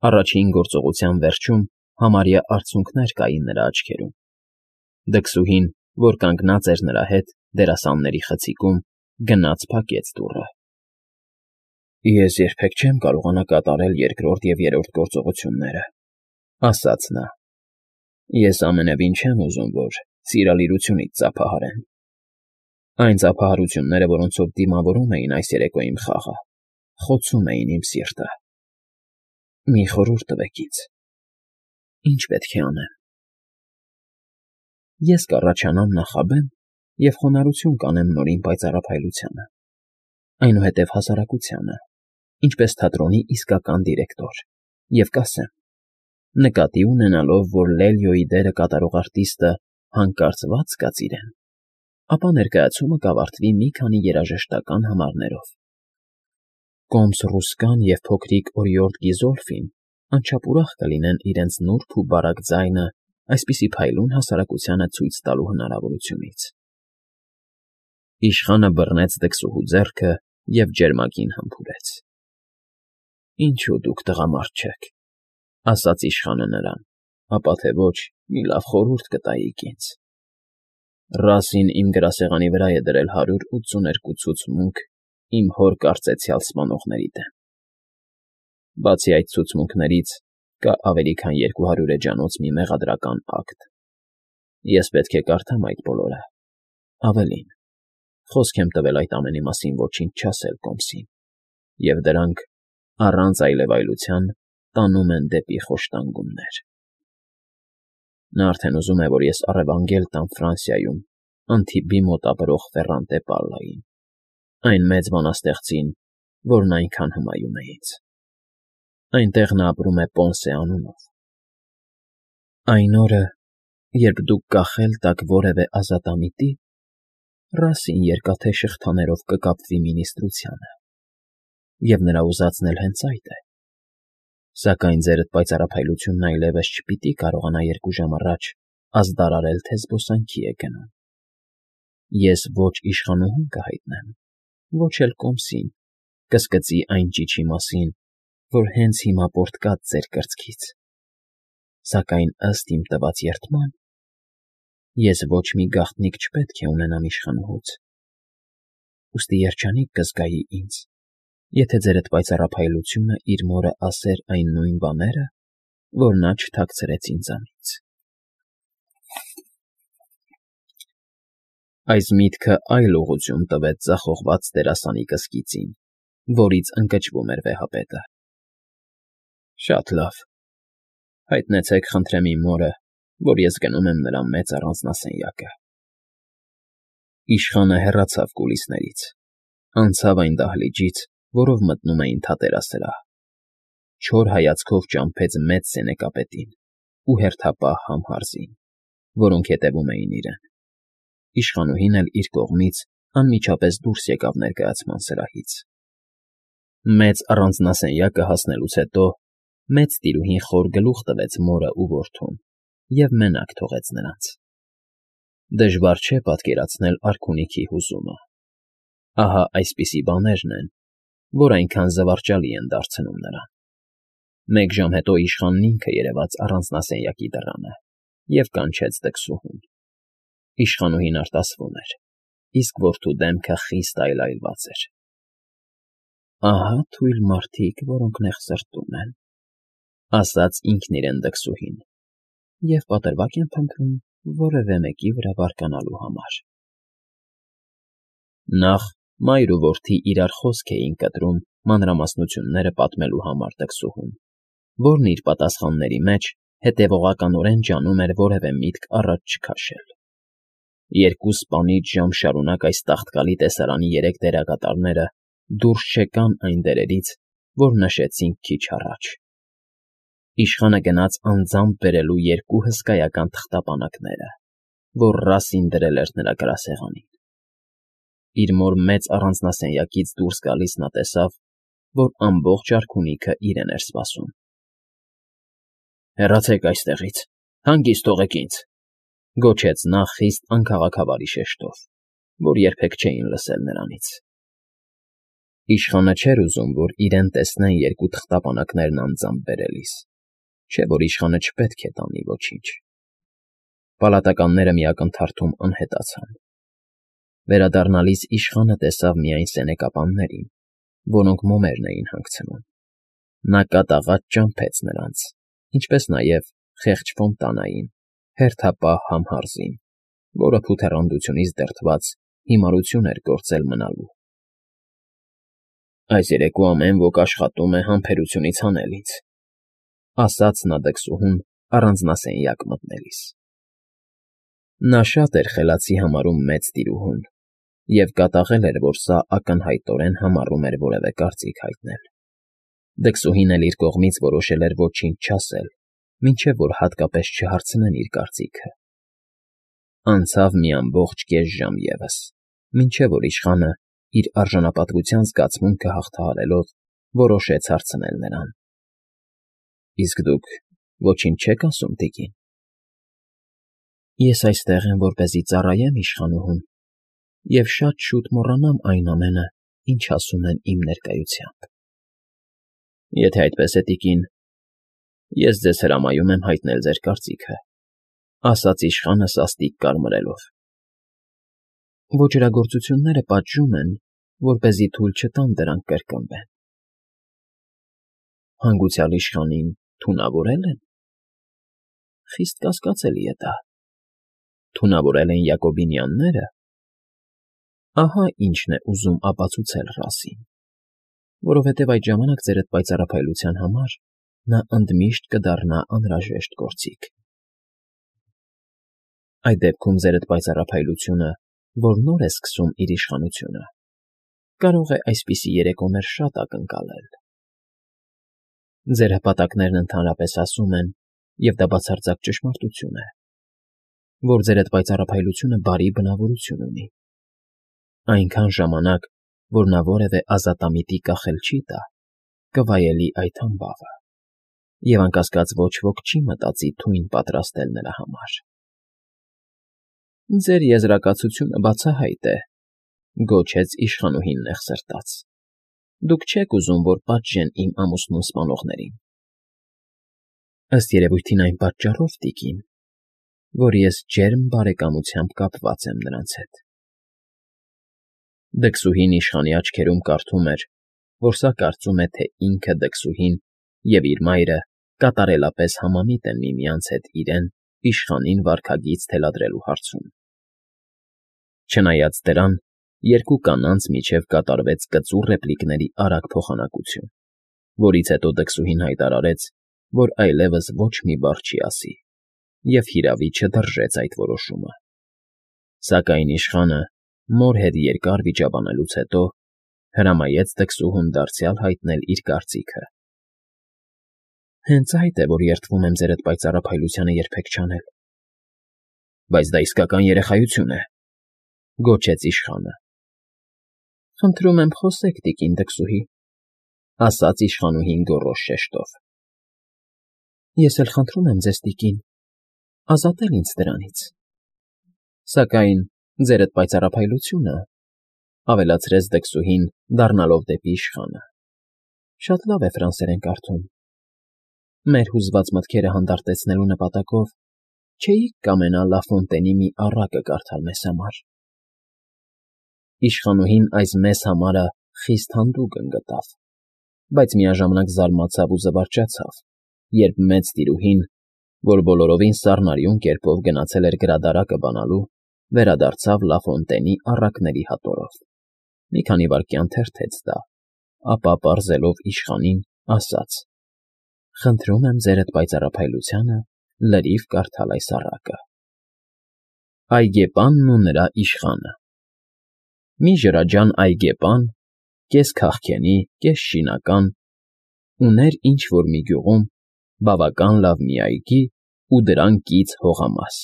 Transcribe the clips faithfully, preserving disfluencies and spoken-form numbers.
Առաջին գործողության վերջում համարյա արցունքներ կային նրա աչքերում։ Դքսուհին, որ կանգնած էր նրա հետ դերասանների խցիկում, գնաց փակեց դուռը։ ֊ Ես երբեք չեմ կարողանա կատարել երկրորդ և երրորդ գործողությունները,֊ ասաց նա։֊ Ես ամենևին չեմ ուզում, որ սիրալիրությունից ծափահարեն։ Այն ծափահարությունները, որոնցով դիմավորում էին այս երեկո իմ խաղը, խոցում էին իմ սիրտը։ Մի խորհուրդ տվեք ինձ. ի՞նչ պետք է անեմ։ ֊ Ես կառաջանամ նախաբեմ և խոնարհություն կանեմ նորին պայծառափայլությանը, այնուհետև հասարակությանը, ինչպես թատրոնի իսկական դիրեկտոր, և կասեմ. նկատի ունենալով, որ Լելիոյի դերը կատարող արտիստը հանկարծված կաց իրեն, ապա ներկայացումը կավարտվի մի քանի երաժշտական համարներով. Կոմս֊ռուսկան և փոքրիկ օրիորդ Գիզոլֆին անչափ ուրախ կլինեն իրենց նուրբ ու բարակ ձայնը այսպիսի փայլուն հասարակությանը ցույց տալու հնարավորությունից… Իշխանը բռնեց դքսուհու ձեռքը և ջերմագին համբուրեց։ ֊ Ինչո՞ւ դուք տղամարդ չեք,֊ ասաց իշխանը նրան,֊ ապա թե ոչ, մի լավ խորհուրդ կտայիք ինձ. Ռասին իմ գրասեղանի վրա է դրել հարյուր ութսուներկու ցուցմունք իմ հոր կարծեցյալ սպանողների դեմ։ Բացի այդ ցուցմունքներից կա ավելի քան երկու հարյուր էջանոց մի մեղադրական ակտ։ Ես պետք է կարդամ այդ բոլորը, ավելին, խոսք եմ տվել այդ ամենի մասին ոչինչ չասել Կոմսին, և դրանք, առանց այլևայլության, տանում են դեպի խոշտանգումներ… Նա արդեն ուզում է, որ ես առևանգել տամ Ֆրանսիայում Անտիբի մոտ ապրող Ֆեռանտե պալլային, այն մեծ բանաստեղծին, որն այնքան հմայում է ինձ… Այնտեղ նա ապրում է Պոնսե անունով։ Այն օրը, երբ դուք կախել տաք որևէ ազատամիտի, Ռասին երկաթե շղթաներով կկապվի մինիստրությանը, և նրա ուզածն էլ հենց այդ է… Սակայն ձերդ պայծառափայլությունն այլևս չպիտի կարողանա երկու ժամ առաջ ազդարարել, թե զբոսանքի է գնում։ Ես ոչ իշխանուհուն կհայտնեմ, ոչ էլ Կոմսին կսկծի այն ճիչի մասին, որ հենց հիմա պոռթկաց ձեր կրծքից, սակայն, ըստ իմ տված երդման, ես ոչ մի գաղտնիք չպետք է ունենամ իշխանուհուց, ուստի երջանիկ կզգայի ինձ, եթե ձերդ պայծառափայլությունը իր մորը ասեր այն նույն բաները, որ նա չթաքցրեց ինձանից… Այս միտքը այլ ուղղություն տվեց ձախողված դերասանի կսկիծին, որից ընկճվում էր վեհապետը։ Շատ լավ, հայտնեցեք, խնդրեմ, իմ մորը, որ ես գնում եմ նրա մեծ առանձնասենյակը… Իշխանը հեռացավ կուլիսներից, անցավ այն դահլիճից, որով մտնում էին թատերասրահ, չոր հայացքով ճամփեց մեծ սենեկապետին ու հերթապահ Համհարզին, որոնք հետևում էին իրեն… Իշխանուհին էլ իր կողմից անմիջապես դուրս եկավ ներկայացման սրահից։ Մեծ առանձնասենյակը հասնելուց հետո մեծ տիրուհին խոր գլուխ տվեց մորը ու որդուն և մենակ թողեց նրանց… Դժվար չէ պատկերացնել արքունիքի հուզումը… Ահա այսպիսի բաներն են, որ այնքան զվարճալի են դարձնում նրան… Մեկ ժամ հետո իշխանն ինքը երևաց առանձնասենյակի դռանը և կանչեց դքսուհուն… Իշխանուհին արտասվում էր, իսկ որդու դեմքը խիստ այլայլված էր։ ֊ Ահա թույլ մարդիկ, որոնք նեղ սրտում են,֊ ասաց ինքն իրեն դքսուհին,֊ և պատրվակ են փնտրում որևէ մեկի վրա բարկանալու համար… Նախ մայր ու որդի իրար խոսք էին կտրում մանրամասնությունները պատմելու համար դքսուհուն, որն իր պատասխանների մեջ հետևողականորեն ջանում էր որևէ միտք առաջ չքաշել… Երկու սպանիչ ժամ շարունակ այս տաղտկալի տեսարանի երեք դերակատարները դուրս չեկան այն դերերից, որ նշեցինք քիչ առաջ… Իշխանը գնաց անձամբ բերելու երկու հսկայական թղթապանակները, որ Ռասին դրել էր նրա գրասեղանին… Իր մոր մեծ առանձնասենյակից դուրս գալիս նա տեսավ, որ ամբողջ արքունիքը իրեն էր սպասում։ ֊ Հեռացեք այստեղից, հանգիստ թողեք ինձ,֊ գոչեց նա խիստ անքաղաքավարի շեշտով, որ երբեք չէին լսել նրանից։ Իշխանը չէր ուզում, որ իրեն տեսնեն երկու թղթապանակներն անձամբ բերելիս, չէ՞ որ իշխանը չպետք է տանի ոչինչ։ Պալատականները մի ակնթարթում անհետացան։ Վերադառնալիս իշխանը տեսավ միայն սենեկապաններին, որոնք մոմերն էին հանգցնում։ Նա կատաղած ճամփեց նրանց, ինչպես նաև խեղճ ֆոնտանային, հերթապահ Համհարզին, որը փութեռանդությունից դրդված հիմարություն էր գործել մնալու։ Այս երեկո ամեն ոք աշխատում է համբերությունից հանել ինձ, ասաց նա դքսուհուն առանձնասենյակ մտնելիս։ Նա շատ էր խելացի համարում մեծ տիրուհուն և կատաղել էր, որ սա ակնհայտորեն համառում էր որևէ կարծիք հայտնել։ Դքսուհին էլ իր կողմից որոշել էր ոչինչ չասել, մինչև որ հատկապես չհարցնեն իր կարծիքը։ Անցավ մի ամբողջ կես ժամ ևս, մինչև որ իշխանը, իր արժանապատվության զգացմունքը հաղթահարելով, որոշեց հարցնել նրան. Իսկ դուք ոչինչ չեք ասում, տիկին։ Ես այստեղ եմ, որպեսզի ծառայեմ իշխանուհուն և շատ շուտ մոռանամ այն ամենը, ինչ ասում են իմ ներկայությամբ։ Եթե այդպես է, տիկին, ես ձեզ հրամայում եմ հայտնել ձեր կարծիքը, ասաց իշխանը սաստիկ կարմրելով։ Ոճրագործությունները պատժում են, որպեսզի թույլ չտան դրանք կրկնվեն։ Հանգուցյալ իշխանին թունավորել են։ Խիստ կասկածելի է դա։ Թունավորել են Յակոբինյանները։ Ահա ինչն է ուզում ապացուցել ռասին, որովհետև այդ ժամանակ ձերդ պայծառափայլության համար նա ընդմիշտ կդառնա անհրաժեշտ գործիք։ Այդ դեպքում ձերդ պայծառափայլությունը, որ նոր է սկսում իր իշխանությունը, կարող է այսպիսի երեկոներ շատ ակնկալել։ Ձեր հպատակներն ընդհանրապես ասում են, և դա բացարձակ ճշմարտություն է, որ ձերդ պայծառափայլությունը բարի բնավորություն ունի։ Այնքան ժամանակ, որ նա որևէ ազատամիտի կախել չի տա, կվայելի այդ համբավը, և անկասկած ոչ ոք չի մտածի թույն պատրաստել նրա համար։ Ձեր եզրակացությունը բացահայտ է, գոչեց իշխանուհին նեղսրտած։ Դուք չեք ուզում, որ պատժեն իմ ամուսնուն սպանողներին։ Ըստ երևույթին այն պատճառով, տիկին, որ ես ջերմ բարեկամությամբ կապված եմ նրանց հետ։ Դքսուհին իշխանի աչքերում կարդում էր, որ սա կարծում է, թե ինքը դքսուհին և իր մայրը կատարելապես համամիտ են միմյանց հետ իրեն իշխանին վարքագիծ թելադրելու հարցում։ Չնայած դրան, երկու կանանց միջև կատարվեց կծուռ ռեպլիկների արագ փոխանակություն, որից հետո դքսուհին հայտարարեց, որ այլևս ոչ մի բառ չի ասի, և հիրավի չդրժեց այդ որոշումը։ Սակայն իշխանը, մոր հետ երկար վիճաբանելուց հետո, հրամայեց դքսուհուն դարձյալ հայտնել իր կարծիքը։ Հենց այդ է, որ երդվում եմ ձերդ պայծառափայլությանը երբեք չանել։ Բայց դա իսկական երեխայություն է, գոչեց իշխանը։ Խնդրում եմ խոսեք, տիկին դքսուհի, ասաց իշխանուհին գոռոզ շեշտով։ Ես էլ խնդրում եմ ձեզ, տիկին, ազատել ինձ դրանից։ Սակայն ձերդ պայծառափայլությունը, ավելացրեց դքսուհին, դառնալով դեպի իշխանը, շատ լավ է ֆրանսերեն կարդում։ Մեր հուզված մտքերը հանդարտեցնելու նպատակով չէիք կամենա Լա Ֆոնտենի մի առակը կարդալ մեզ համար։ Իշխանուհին այս «մեզ համար»֊ը խիստ հանդուգն գտավ, բայց միաժամանակ զարմացավ ու զվարճացավ, երբ մեծ տիրուհին, որ բոլորովին սառնարյուն կերպով գնացել էր գրադարակը բանալու, վերադարձավ Լա Ֆոնտենի առակների հատորով։ Մի քանի վայրկյան թերթեց դա, ապա պարզելով իշխանին, ասաց. Խնդրում եմ ձերդ պայծառափայլությանը լրիվ կարդալ այս առակը։ Այգեպանն ու նրա իշխանը։ Մի ջրաջան այգեպան, կես քաղքենի, կես շինական, ուներ ինչ֊որ մի գյուղում բավական լավ մի այգի ու դրան կից հողամաս,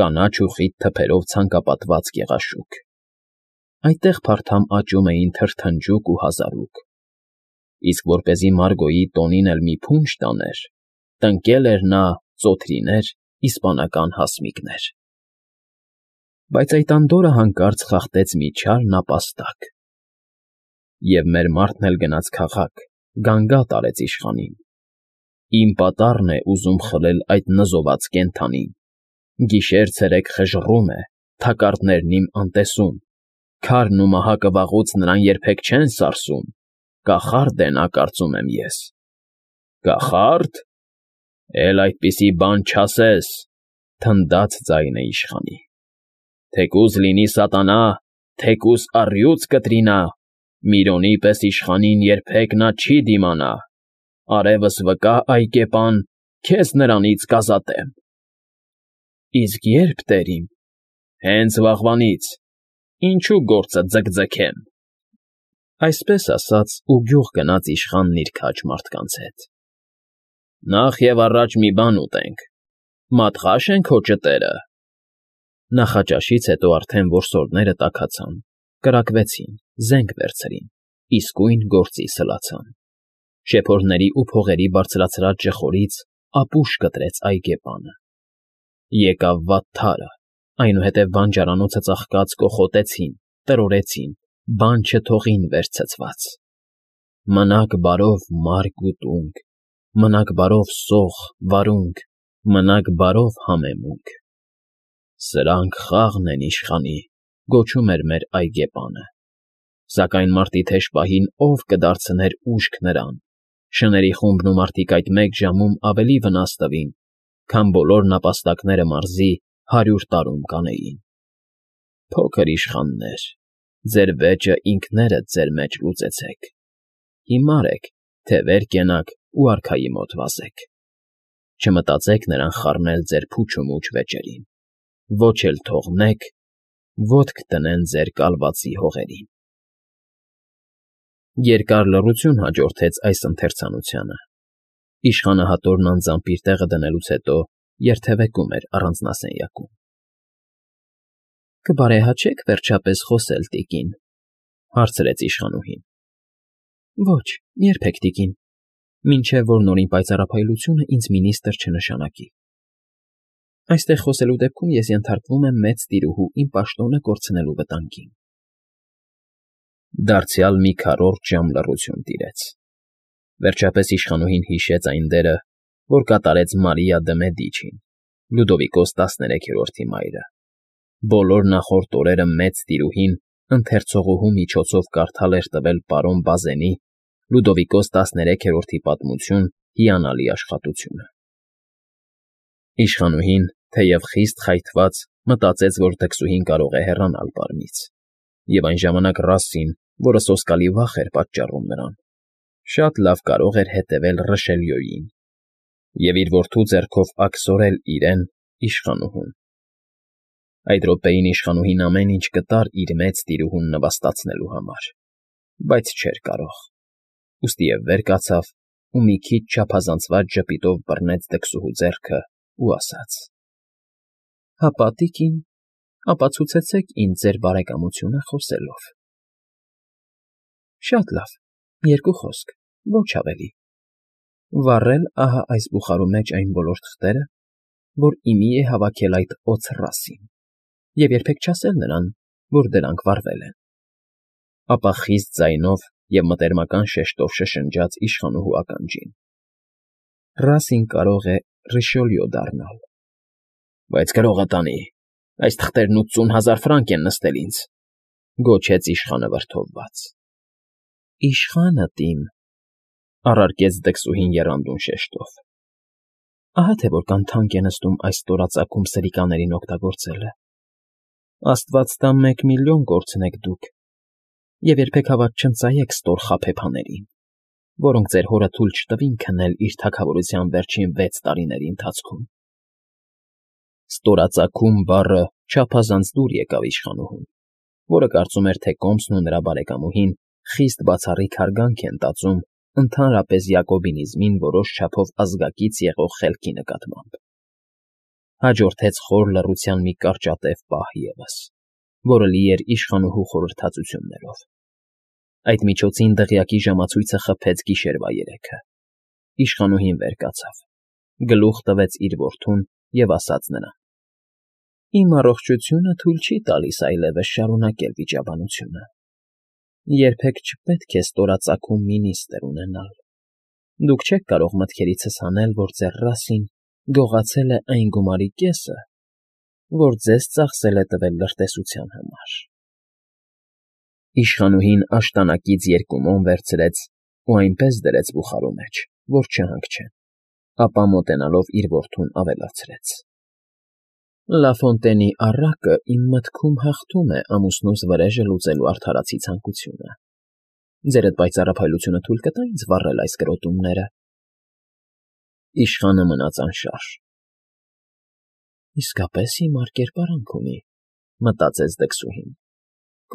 կանաչ ու խիտ թփերով ցանկապատված գեղաշուք։ Այդտեղ փարթամ աճում էին թրթնջուկ ու հազարուկ, իսկ որպեսզի Մարգոյի տոնին էլ մի փունջ տաներ, տնկել էր նա ծոթրիներ, իսպանական հասմիկներ։ Բայց այդ անդորրը հանկարծ խախտեց մի չար նապաստակ։ և մեր մարդն էլ գնաց քաղաք, գանգատ արեց իշխանին։ Իմ պատառն է ուզում խլել այդ նզոված կենդանին, գիշեր֊ցերեկ խժռում է, թակարդներն իմ անտեսում, քարն ու մահակը վաղուց նրան երբեք չեն սարսում, կախարդ է նա, կարծում եմ ես։ Կախա՞րդ, էլ այդպիսի բան չասես, թնդաց ձայնը իշխանի, թեկուզ լինի սատանա, թեկուզ առյուծ կտրինա, Միրոնի պես իշխանին երբեք նա չի դիմանա, արևս վկա, այգեպան, քեզ նրանից կազատեմ։ Իսկ ե՞րբ, տերիմ, հենց վաղվանից, ինչու գործը ձգձգեմ։ Այսպես ասաց ու գյուղ գնաց իշխանն իր քաջ մարդկանց հետ։ Նախ և առաջ մի բան ուտենք, մատղա՞շ են քո ճտերը։ Նախաճաշից հետո արդեն որսորդները տաքացան, կրակվեցին, զենք վերցրին, իսկույն գործի սլացան։ Շեփորների ու փողերի բարձրացրած ժխորից ապուշ կտրեց այգեպանը։ Եկավ վատթարը, այնուհետև բանջարանոցը ծաղկած կոխոտեցին, տրորեցին, բան չթողին վերցցված։ Մնաք բարով մարկ ու տունկ, մնաք բարով սող, վարունգ, մնաք բարով համեմունք։ Սրանք խաղն են իշխանի, գոչում էր մեր այգեպանը։ Սակայն մարտի թեժ պահին ով կդարձներ ուժք նրան, շների խումբն ու մարդիկ այդ մեկ ժամում ավելի վնաս տվին, քան բոլոր նապաստակները մարզի հարյուր տարում կանեին։ Փոքր իշխաններ, ձեր վեճը ինքներդ ձեր մեջ լուծեցեք, հիմար եք, թե վեր կենաք ու արքայի մոտ վազեք։ Չմտածեք նրան խառնել ձեր փուչ ու մուչ վեճերին, ոչ էլ թողնեք, ոտք դնեն ձեր կալվածի հողերին։ Երկար լռություն հաջորդեց այս ընթերցանությանը։ Իշխանահատորն անձամբ իր տեղը դնելուց հետո երթևեկում էր առանձնասենյակում։ Կբարեհաճե՞ք վերջապես խոսել, տիկին, հարցրեց իշխանուհին։ Ոչ, երբեք, տիկին, մինչև որ նորին պայծառափայլությունը ինձ մինիստր չնշանակի։ Այստեղ խոսելու դեպքում ես ենթարկվում եմ մեծ տիրուհու իմ պաշտոնը կորցնելու վտանգին։ Դարձյալ մի քառորդ ժամ լռություն տիրեց։ Վերջապես իշխանուհին հիշեց այն դերը, որ կատարեց Մարիա դը Մեդիչին, Լյուդովիկոս տասներեքերորդի մայրը։ Բոլոր նախորդ օրերը մեծ տիրուհին ընթերցողուհու միջոցով կարդալ էր տվել պարոն Բազենի Լյուդովիկոս տասներեքերորդի պատմություն հիանալի աշխատությունը։ Իշխանուհին, թեև խիստ խայթված, մտածեց, որ դքսուհին կարող է հեռանալ պարմից, և այն ժամանակ Ռասսին, որը սոսկալի վախ էր պատճառում նրան, շատ լավ կարող էր հետևել Ռշելյոյին և իր որդու ձեռքով աքսորել իրեն՝ իշխանուհուն։ Այդ րոպեին իշխանուհին ամեն ինչ կտար իր մեծ տիրուհուն նվաստացնելու համար, բայց չէր կարող, ուստիև վեր կացավ ու մի քիչ չափազանցված ժպիտով բռնեց դքսուհու ձեռքը ու ասաց. Հապա, տիկին, ապացուցեցեք ինձ ձեր բարեկամությունը խոսելով։ Շատ լավ, երկու խոսք, ոչ ավելի։ Վառել ահա այս բուխարու մեջ այն բոլոր թղթերը, որ իմի է հավաքել այդ օձ Ռասսին, և երբեք չասել նրան, որ դրանք վառվել են։ Ապա խիստ ձայնով և մտերմական շեշտով շշնջաց իշխանուհու ականջին. Ռասսին կարող է Ռիշելյո դառնալ։ Բայց գրողը տանի, այս թղթերն ութսուն հազար ֆրանկ են նստել ինձ, գոչեց իշխանը վրդովված։ Իշխանդ իմ, առարկեց դքսուհին եռանդուն շեշտով, ահա թե որքան թանկ է նստում այս ստորածագում սրիկաներին օգտագործելը։ Աստված տա մեկ միլիոն կորցնեք դուք, և երբեք հավատ չընծայեք ստոր խաբեբաներին, որոնք ձեր հորը թույլ չտվին քնել իր թագավորության վերջին վեց տարիների ընթացքում։ Ստորածագում բառը չափազանց դուր եկավ իշխանուհուն, որը կարծում էր, թե կոմսն ու նրա բարեկամուհին խիստ բացառիկ հարգանք են տածում ընդհանրապես յակոբինիզմին որոշ չափով ազգակից եղող խելքի նկատմամբ։ Հաջորդեց խոր լռության մի կարճատև պահ ևս, որը լի էր իշխանուհու խորհրդածություններով։ Այդ միջոցին դղյակի ժամացույցը խփեց գիշերվա երեքը։ Իշխանուհին վեր կացավ, գլուխ տվեց իր որդուն և ասաց նրան. Իմ առողջությունը թույլ չի տալիս այլևս շարունակել վիճաբանությունը։ Երբեք չպետք է ստորածագում մինիստր ունենալ։ Դուք չեք կարող մտքերիցս հանել, որ ձեր ռասին գողացել է այն գումարի կեսը, որ ձեզ ծախսել է տվել լրտեսության համար։ Իշխանուհին աշտանակից երկու մոմ վերցրեց ու այնպես դրեց բուխարու մեջ, որ չհանգչեն, ապա մոտենալով իր որդուն ավելացրեց. Լաֆոնտենի առակը իմ մտքում հաղթում է ամուսնուս վրեժը լուծելու արդարացի ցանկությունը։ Ձեր այդ պայծառափայլությունը թույլ կտա ինձ վառել այս կրոտումները։ Իշխանը մնաց անշարժ։ Իսկապես հիմար կերպարանք ունի, մտածեց դքսուհին։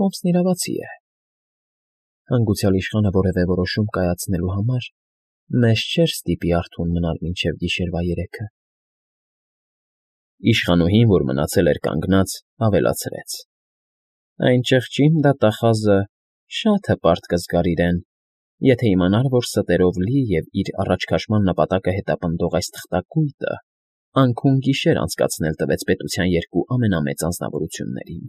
Կոմսն իրավացի է։ Հանգուցյալ իշխանը որևէ որոշում կայացնելու համար մեզ չէր ստիպի արթուն մնալ մինչև գիշերվա երեքը։ Իշխանուհին, որ մնացել էր կանգնած, ավելացրեց. Այն ճղճին դատախազը շատ հպարտ կզգար իրեն, եթե իմանար, որ ստերով լի և իր առաջքաշման նպատակը հետապնդող այս թղթակույտը անքուն գիշեր անցկացնել տվեց պետության երկու ամենամեծ անձնավորություններին։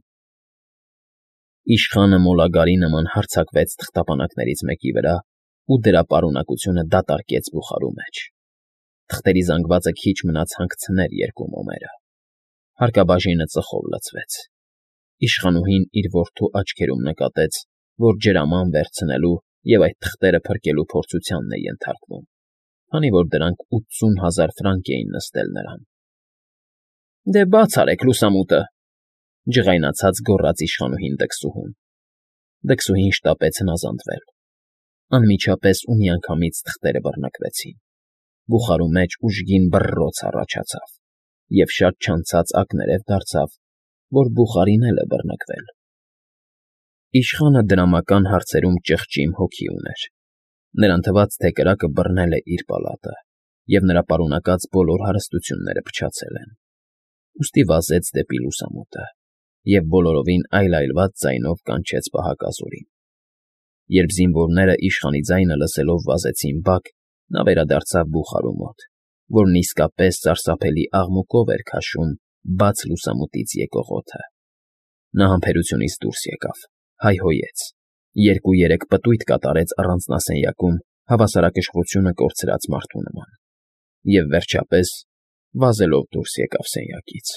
Իշխանը մոլագարի նման հարձակվեց թղթապանակներից մեկի վրա ու դրա պարունակությունը դատարկեց բուխարու մեջ։ Թղթերի զանգվածը քիչ մնաց հանգցներ երկու մոմերը։ Հարկաբաժինը ծխով լցվեց։ Իշխանուհին իր որդու աչքերում նկատեց, որ ջրաման վերցնելու և այդ թղթերը փրկելու փորձությանն է ենթարկվում, քանի որ դրանք ութսուն հազար ֆրանկ էին նստել նրան։ Դե բաց արեք լուսամուտը,֊ ջղայնացած գոռաց իշխանուհին դքսուհուն։ Դքսուհին շտապեց հնազանդվել։ Անմիջապես ու միանգամից թղթերը բռնկվեցին։ Բուխարու մեջ ուժգին բռռոց առաջացավ, և շատ չանցած ակներև դարձավ, որ բուխարին էլ է բռնկվել։ Իշխանը դրամական հարցերում ճղճիմ հոգի ուներ։ Նրան թվաց, թե կրակը բռնել է իր պալատը, և նրա պարունակած բոլոր հարստությունները փչացել են։ Ուստի վազեց դեպի լուսամուտը և բոլորովին այլայլված ձայնով կանչեց պահակազորին։ Երբ զինվորները իշխանի ձայնը լսելով վազեցին բակ, նա վերադարձավ բուխարու մոտ, որն իսկապես սարսափելի աղմուկով էր քաշում բաց լուսամուտից եկող օդը։ Նա համբերությունից դուրս եկավ, հայհոյեց, երկու֊երեք պտույտ կատարեց առանձնասենյակում հավասարակշռությունը կորցրած մարդու նման և, վերջապես, վազելով դուրս եկավ սենյակից։